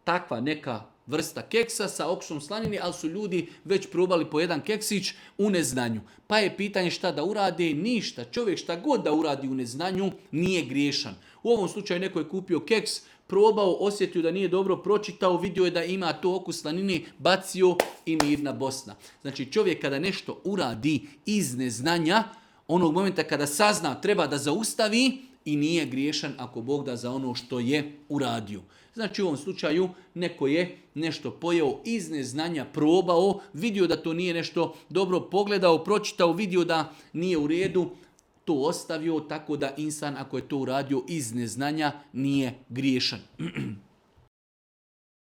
takva neka vrsta keksa sa okusom slanine, ali su ljudi već probali po jedan keksić u neznanju. Pa je pitanje šta da urade, ništa. Čovjek šta god da uradi u neznanju nije griješan. U ovom slučaju neko je kupio keks, probao, osjetio da nije dobro, pročitao, vidio je da ima to okus slanine, bacio i mirna Bosna. Znači čovjek kada nešto uradi iz neznanja, onog momenta kada sazna treba da zaustavi i nije griješan ako Bog da za ono što je uradio. Znači u ovom slučaju neko je nešto pojeo iz neznanja, probao, vidio da to nije nešto dobro, pogledao, pročitao, vidio da nije u redu, to ostavio, tako da insan ako je to uradio iz neznanja nije griješan.